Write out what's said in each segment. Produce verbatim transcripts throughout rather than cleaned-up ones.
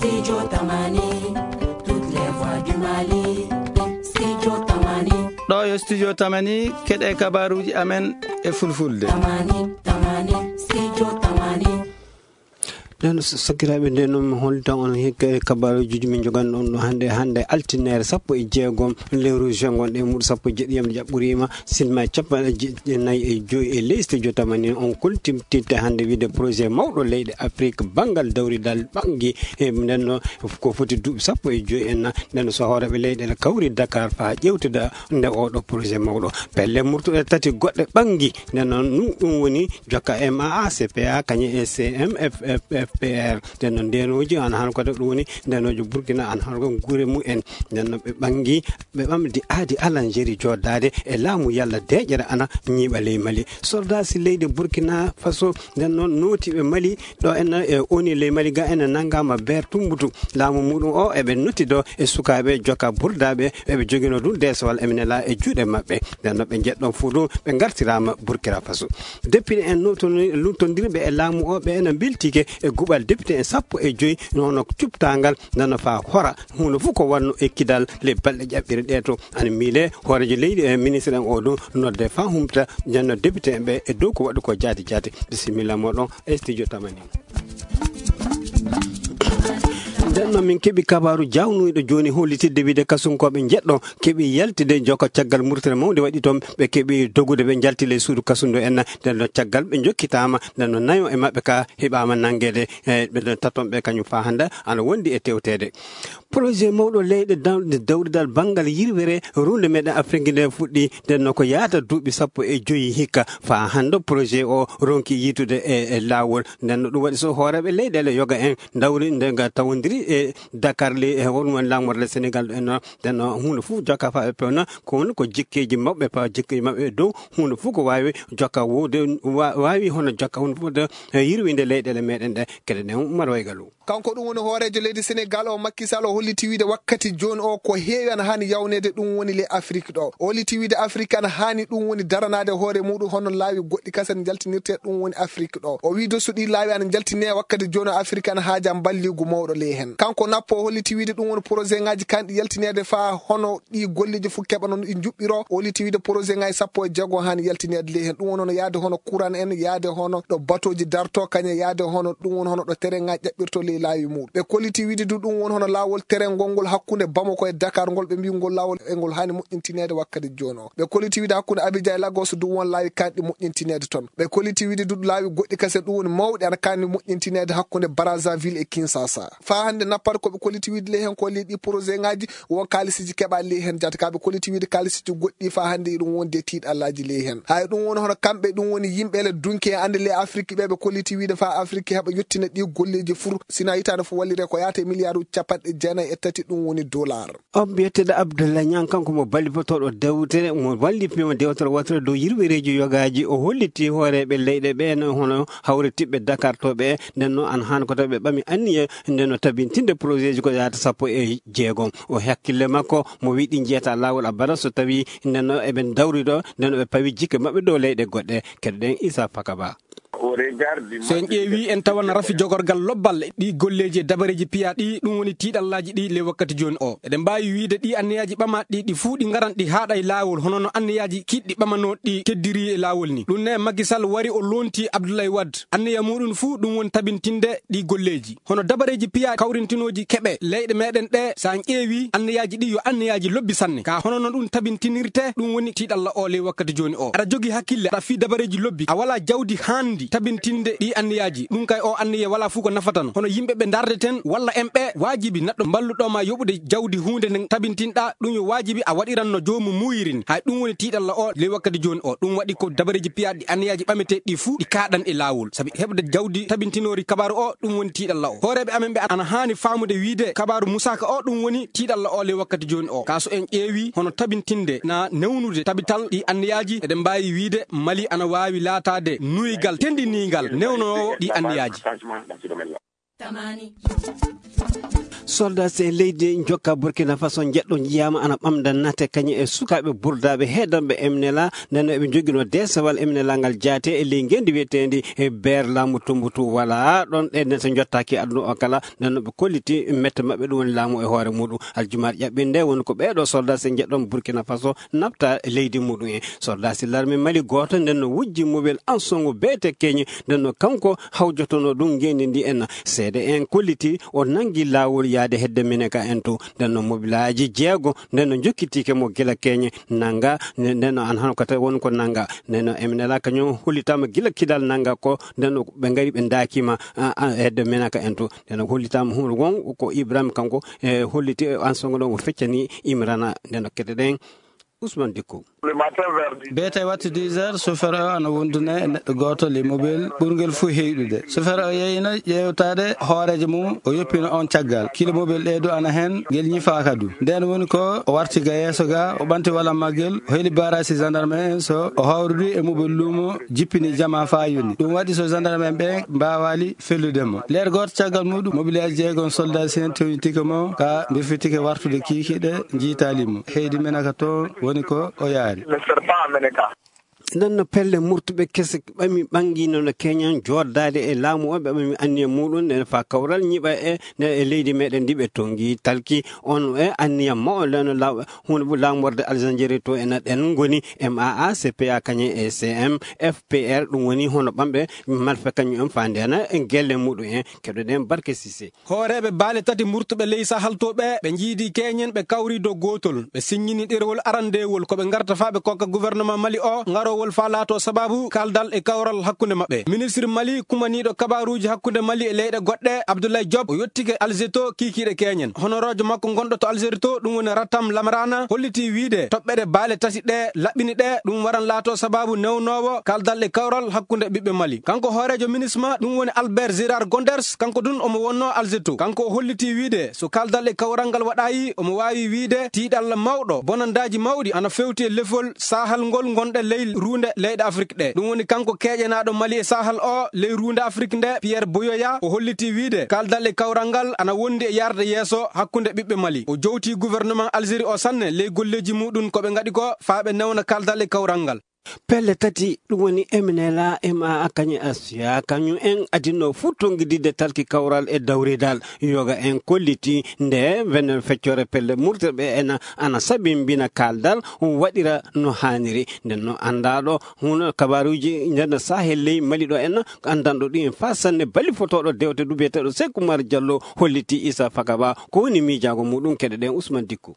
Studio Tamani, toutes les voix du Mali. Studio Tamani. Ɗo yo Studio Tamani, keɗe kabaruji amen e fulfulde. Tamani, Tamani, Studio Tamani. Nden so-, sakiraaɓe, nden noon mi hollitan on hikka e kabaruji ɗi min njogan on ɗo hannde, hannde altine sappo e jeegom lewru juin gonɗo e muɗum sappo e jeɗɗi yam jaɓɓuriima. Sinma e capanɗe jeɗɗi e nayi e joyi e ley studio Tamani, on koltimtitte hannde wiide projet mawɗo leyɗe Afrik banngal dawridal ɓanngi. E nden noon ko foti duuɓi sappo e joyi en na, nden noon so hooreeɓe leyɗe ene kawri Dakar faa ƴeewtida nde oɗo projet mawɗo. Pelle murtuɗe tati goɗɗe ɓanngi, nden noon ɗum, ɗum woni jokka M A A, C P A, kañum e C M F F P R. Nden noon ndeenooji ana han kode ɗum woni ndeenooji Burkina ana han ko gure mumen. Nden noon ɓe ɓanngi, ɓe ɓamdi aadi Alanjeri jooɗdaade e laamu yalla deeƴere ana ñiiɓa ley Mali. Soldaaji leydi Burkina Faso nden noon nootiiɓe Mali ɗo en e O N U ley Mali ga en nanngaama beer tumbutu. Laamu muɗum o eɓe notti ɗo e sukaaɓe jokka burdaaɓe eɓe joginoo ɗum deesowal eɓe nela e juuɗe maɓɓe. Nden noon ɓe njeɗɗon fuu ɗum ɓe ngartiraama Burkina Faso. Député en nootoni-, luttondirɓe e laamu o ɓe ena mbeltike e guɓal député en sappo e joyi hono cuptaangal nden noon faa hora huunde fof ko wonno e kidal ley balɗe ƴaɓɓire ɗe to ana miile hooreejo leydi e ministre en o ɗum nodde faa humta janno député en ɓe e dow ko waɗi ko jaati jaati. Bisimilla moɗon e studio Tamani. Nden noon min keɓi kabaaru jaawnuyɗo jooni hollitidde wiide kasunkooɓe njeɗɗo keɓi yaltide jokka caggal murtere mawnde waɗi toon ɓe keɓi dogude ɓe njalti ley suudu kasundu en. Nden noon caggal ɓe njokkitaama nden noon nayo e maɓɓe ka heɓaama nanngeede e ɓe ɗon taton ɓe kañum faa hannde ana wondi e tewteede. Projet mawɗo leyɗe daw-, dawridal banngal yirwere runde meɗen Afrik nde fuɗɗi, nden no ko yaata duuɓi sappo e joyi hikka. Faa hannde projet o ronki yiitude e, e laawol. Nden no ɗum waɗi so hooreeɓe leyɗeele yoga en ndawri nde nga tawondiri e Dakar le, e won won laamorde Senegal en no, nden no huunde fof jokka faa ɓe pewna, ko woni ko jikkeeji maɓɓe, faa jikkeeji maɓɓe e dow huunde fof ko waawi jokka wowde, wa-, waawi hono jokka huunde fof de, e yirwinde leyɗeele meɗen ɗe, kede nden Umar Waygalu. Kanko ɗum woni hooreejo leydi Senegal o, Macky Sall, o holliti wiide wakkati jooni o ko heewi ana haani yawneede, ɗum woni le Afrik ɗo. O holliti wiide Afrik ana haani ɗum woni daranaade hoore muɗum hono laawi goɗɗi kasa njaltinirte, ɗum woni Afrik ɗo. O wii so ɗi laawi ana njaltine wakkati jooni o Afrik ana haaja mballigu mawɗo ley heen. Kanko nappo o holliti wiide ɗum woni projet ngaji kanɗi yaltineede faa hono ɗi golleeji fof keɓa noon ɗi njuɓɓiro. O holliti wiide projet ngaji sappo e jeego haani yaltineede ley heen. Ɗum woni hono yaade hono courant en, yaade hono ɗo batooji darto, kañum yaade hono ɗum woni hono ɗo terrain ngaji ƴaɓɓirto ley laawi muɗum. Ɓe kolliti wiide du ɗum woni hono laawol terrain ngol ngol hakkunde Bamako e Dakar ngol ɓe mbii ngol laawol e ngol haani moƴƴintineede wakkati jooni o. Ɓe kolliti wiide hakkunde Abidjan e Lagos du won laawi kanɗi moƴƴintineede toon. Ɓe kolliti wiide du laawi goɗɗi kase ɗum woni mawɗi ana kanɗi moƴƴintineede hakkunde Brazzaville e Kinshasa. Faa hannde nappat ko ɓe kolliti wiide ley heen ko ley ɗi projet ngaji won kaalisiiji keɓa ley heen jaati ka ɓe kolliti wiide kaalisiiji goɗɗi faa hannde iɗum wonde tiiɗallaaji ley heen. Hay ɗum woni hono kamɓe ɗum woni yimɓe le dunki e annde le Afrik ɓe ɓe kolliti wiide faa Afrik heɓa yettina ɗi golleeji fur sina hitaande fof wallire ko yaata e miliyaaruuji capanɗe jeenayi e tati ɗum woni dollar. On mbiyeteeɗo Abdoulaye Niang kanko mo ballifotooɗo dewtere mo wallifiima dewtere wootere dow yirwereeji yogaaji o holliti hooreeɓe leyɗe ɓe no hono hawritiɓɓe Dakar to ɓe nden noon an haan ko tawi ɓe ɓami anniya nden no tabintinde projet ji ko yaata sappo e jeegom. O hakkille makko mo wiɗi jeeta laawol abada so tawi nden no eɓe dawri ɗo nden no ɓe pawi jikke maɓɓe dow leyɗe goɗɗe. Keɗoɗen Issa Pakaba. So en ƴeewi en tawan rafi jogorgal lobbal ɗi golleeji e dabareeji piya ɗi ɗum woni tiiɗallaaji ɗi ley wakkati jooni o. Eɗen mbaawi wiide ɗi anniyaaji ɓama ɗi ɗi fuu ɗi ngaran ɗi haaɗa e laawol hono no anniyaaji kiɗɗi ɓamanoo ɗi keddiri e laawol ni. Ɗum ne Macky Sall wari o lonti Abdoulaye Wade. Anniya muɗum fuu ɗum woni tabintinde ɗi golleeji. Hono dabareeji piya kawrintinooji keɓe leyɗe meɗen ɗe so en ƴeewi anniyaaji ɗi yo anniyaaji lobbi sanne. Ka hono no ɗum tabintinirte ɗum woni tiiɗalla o ley wakkati jooni o. Aɗa jogi hakkille aɗa fii dabareeji lobbi a wala jawdi haandi tabintinde ɗi anniyaaji. Ɗum kay o anniya wala fuu ko nafata no. Hono yimɓe ɓe ndarde ten walla en ɓe waajibi neɗɗo mballuɗo ma yoɓude jawdi huunde nden tabintinɗa ɗum yo waajibi a waɗiran no joomu muuyiri ni. Hay ɗum woni tiiɗalla o ley wakkati jooni o. Ɗum waɗi ko dabareeji piya ɗi anniyaaji ɓameteeɗi ɗi fuu ɗi kaaɗan e laawol. Sabi heɓde jawdi tabintinoori kabaaru o ɗum woni tiiɗalla o. Hooreeɓe amen ɓe ana haani faamude wiide kabaaru musaaka o ɗum woni tiiɗalla o ley wakkati jooni o. Ka so en ƴeewi hono tabintinde na newnude tabital ɗi anniyaaji eɗen mbaawi wiide Mali ana waawi laataade nuygal tendiniingal newnoowo ɗi anniyaaji. Tamani. Soldat e leydi jokka Burkina Faso njeɗɗo njiyaama ana ɓamda nate kañum e sukaaɓe burdaaɓe heedanɓe M N L A, nden eɓe njogino deesewal M N L A ngal jaate e ley ngenndi wiyeteendi e beer laamu Tumbutu wala ɗon ɗe nde so njottaaki aduna o kala, nden ɓe kolliti mette maɓɓe ɗum woni laamu e hoore muɗum. Aljumaaɗe ƴaɓɓinde woni ko ɓeeɗo soldat e njeɗɗon Burkina Faso nafta leydi muɗum en. Soldat si larme Mali gooto nden no wujji mobel ansongo beete keñi, nden no kanko hawjotono ɗum ngendi ndi en. Seede en kolliti o nangi laawol yaade hedde Mineka en to. Nden no mobilaaji jeego, nden no jokkitiike mo gila keñe nanga, nden no an hano kata woni ko nanga. Nden no M N L A kañum hollitaama gila kidal nanga ko, nden no ɓe ngari ɓe ndaakima, a, a, hedde Mineka en to. Nden no hollitaama hon won ko Ibrahim kanko, e, holliti ansongo ɗon o feccani Imrana. Nden no kete ɗen Ousmane Dikko. Beete wattu dix heures, chauffeur o ana wonduna e neɗɗo gooto ley mobel ɓurngel fuu heyɗude. Chauffeur o yeyno ƴeewtaade hooreejo mum, o yoppino on caggal. Kilo mobel ɗee du ana heen, ngel ñifaaka du. Ndeen woni ko o warti ga yeeso ga, o ɓanti wala maggel, o heli baaraasi gendarme en so o hawrudi e mobel luumo, jippini jama faa yoni. Ɗum waɗi so gendarme en ɓe mbaawaali fellude mo. Leer gooto caggal muɗum, mobilaaji jeegom soldat en townitike mo, ka mbirfitike wartude kiikiiɗe, njiitaali mo. Heydi Menaka toon woni ko o yaari. Nden no pelle murtuɓe kese ɓami ɓanngino no keñan jooddaade e laamu o, ɓe ɓami anniya muɗum nden faa kawral ñiɓa e, nden e leydi meɗen ndi ɓe tongi talki on e anniya mawɗo nden no law-, hunde bu laamorde Algérie to ena ɗen ngoni M A A, C P A kañe e C M F P R, ɗum woni hono ɓamɓe malfe kañum en faa ndena e gelle muɗum en. Keɗoɗen Barke Sise. Hooreeɓe baale tati murtuɓe ley Sahal to ɓe, ɓe njiidi keñen, ɓe kawri dow gootol. Ɓe siññini ɗerewol arandeewol ko ɓe ngarta faa ɓe kokka gouvernement Mali o ŋarowol faa laato sabaabu kaaldal e kawral hakkunde maɓɓe. Ministre Mali kumaniiɗo kabaaruuji hakkunde Mali e leyɗe goɗɗe, Abdoulaye Diop, o yottike Alger to kiikiiɗe keñen. Honoroojo makko gonɗo to Algérie to, ɗum woni Ratam Lamrana, holliti wiide toɓɓere baale tati ɗe laɓɓini ɗe, ɗum waran laato sabaabu newnoowo kaaldal e kawral hakkunde ɓiɓɓe Mali. Kanko hooreejo MINUSMA, ɗum woni Albert Gérard Gonders, kanko dun omo wonno Alger to. Kanko o holliti wiide so kaaldal e kawral ngal waɗaayi, omo waawi wiide tiiɗalla mawɗo, bonandaaji mawɗi ana fewti e lefol Sahal ngol ngonɗe ley ruunde leyɗe Afrik ɗe. Ɗum woni kanko keeƴenaaɗo Mali e Sahal o ley ruunde Afrik nde, Pierre Buyoya, o holliti wiide kaaldal e kawral ngal ana wondi e yarde yeeso hakkunde ɓiɓɓe Mali. O jowti gouvernement Algérie o sanne ley golleeji muɗum ko ɓe ngaɗi ko faa ɓe newna kaaldal e kawral ngal. Pelle tati, ɗum woni M N L A, M A A, kañum Asiya, kañum en adinno fuu tonngididde talki kawral e dawridal. Yoga en kolliti nde wenen feccere pelle murte ɓe ena ana sabimbina kaaldal waɗira no haaniri. Nden no anndaɗo huno kabaruuji nden no Sahel ley Mali ɗo en anndanɗo ɗum en faa sanne bali fotooɗo dewte du biyeteeɗo Seeku Umar Jallo holliti Isa Fakaba ko woni miijaago muɗum. Keɗoɗen Usman Dikku.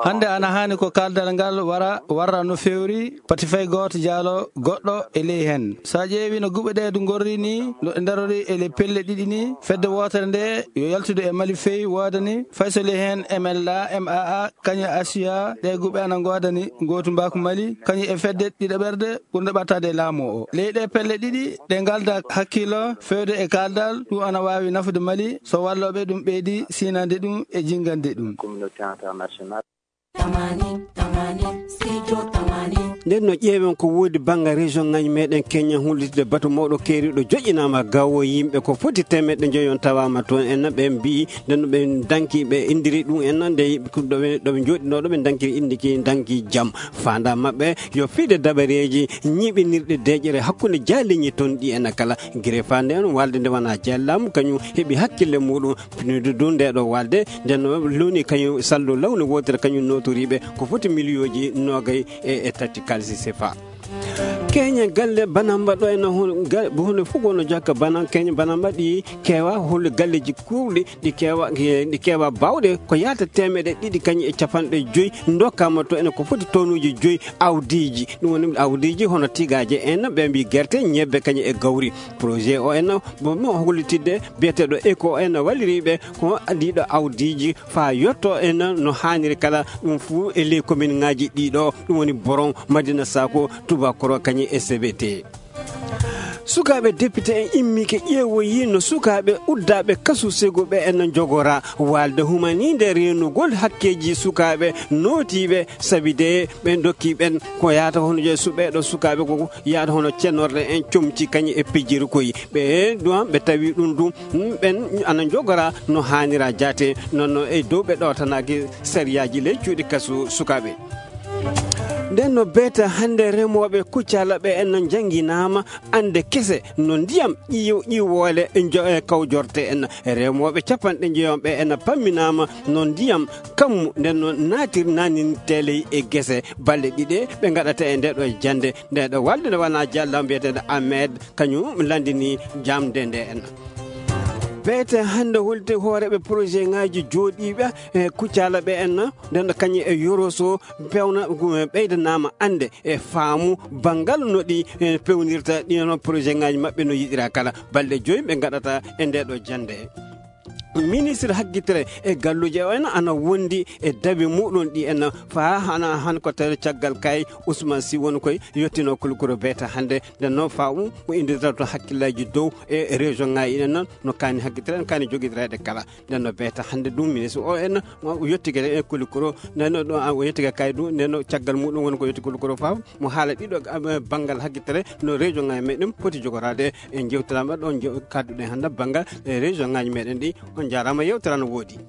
Hannde ana haani ko kaaldal ngal wara, warra no feewri, pati fay gooto jaalo goɗɗo e ley heen. So a ƴeewi no guɓe ɗee du ngorri ni, no ɗe ndarori e ley pelle ɗiɗi ni, fedde wootere nde yo yaltude e Mali fey woodani, fay so ley heen M L A, M A A, kañum Asiya, ɗe guɓe ana ngoodani ngootu mbaaku Mali, kañum e fedde ɗiɗaɓerde ɓurnde ɓattaade e laamu o. Ley ɗe pelle ɗiɗi, ɗe ngalda hakkilo feewde e kaaldal, ɗum ana waawi nafude Mali, so wallooɓe ɗum ɓeydi siinande ɗum e jinngande ɗum. Communauté internationale. Tamani, tamani, studio tamani. Nden no ƴeewen ko woodi bannga région ngaji meɗen Kenya hullitde batu mawɗo keeriɗo joƴƴinaama gawo yimɓe ko foti temeɗɗe njoyon tawaama toon en ɓe mbi'i nden no ɓe danki ɓe indiri ɗum en nde ɗo ɓe jooɗinooɗo ɓe dankiri indi ki danki jam. Faanda maɓɓe yo fiide dabareeji ñiɓinirɗe deeƴere hakkunde jaaliñi toon ɗi en kala. Gire faande en walde nde wona jallaamu kañum heɓi hakkille muɗum. Pinnude du nde ɗo walde nden no loni kañum saldo lawni wootere kañum notoriɓe ko foti miliyooji noogay e, e tati kalisi sefa. Keñe galle banamba ɗo en hon-, ga-, hunde fof gono jakka bana keñe banamba ɗi kewa hol galleji kuuɗi ɗi kewa, ɗi kewa bawɗe ko yata temeɗe ɗiɗi kañum e capanɗe joyi dokkama to ene ko foti tonuji joyi awdiji. Ɗum woni awdiji hono tigaje en ɓe mbi gerte, ñebbe kañum e gawri. Projet o en mo hollitidde biyeteɗo Eco en walliriɓe ko ɗiɗo awdiji faa yetto en no haaniri kala ɗum fuu e ley commune ŋaaji ɗiɗo, ɗum woni Boron, Madina Sako, Tubakoro kañum e C B T. Sukaaɓe depite en immike ƴeewoyi no sukaaɓe uddaaɓe kasu segu ɓe en njogora waalde humaniinde reenugol hakkeeji sukaaɓe nootiiɓe, sabi de ɓe ndokki ɓen ko yaata hono je su-, ɓeeɗo sukaaɓe ko yaata hono cennorɗe en comci kañi e pijjiri koyi. Ɓe ɗum ɓe tawi ɗum ɗum, mm, ɓen ana njogora no haanira jaate, noon no e dow ɓe ɗootanaaki sariyaaji ley cuuɗi kasu sukaaɓe. Nden no beeta hannde remooɓe Kuccala ɓe en no njannginaama annde kese no ndiyam ƴiw-, ƴiwoole njo-, e kawjorte en. Remooɓe capanɗe njeyoɓe en pamminaama no ndiyam kammu nden no naatir nanin teley e gese. Balɗe ɗiɗe ɓe ngaɗata e nde ɗo jannde. Nde ɗo walde nde wona jalla mbiyeteeɗo Ahmed, kañum lanndini jamde nde en. Beete hannde holti hooreeɓe projet ŋaaji jooɗiiɓe e Kuccala ɓe en, nden ɗo kañum e Yoroso pewna, ɓeydanaama annde e faamu banngal no ɗi, e, pewnirta ɗi no projet ŋaaji maɓɓe no yiɗira kala. Balɗe joyi ɓe ngaɗata e nde ɗo jannde. Ministre haggitere e galluuje o en ana wondi e dabi muɗum ɗi en faa hana han ko tawi caggal kay Ousmane Sy woni koy yottino kulkuro beeta hannde. Nden noon faa um ko inditata to hakkillaaji dow e région ŋaaji ɗen noon no kaani haggitere en kaani jogitireede kala. Nden no beeta hannde ɗum ministre o en o yettike e kulkuro nden no ɗo o yettike kay ɗum nden no caggal muɗum woni ko yetti kulkuro faa mo haala ɗiɗo, eh, banngal haggitere no région ŋaaji meɗen poti jogoraade. En jewtiraama ɗo jew-, kadduɗen hannde banngal, eh, région ŋaaji meɗen ɗi. On njaaraama, yewtere no woodi.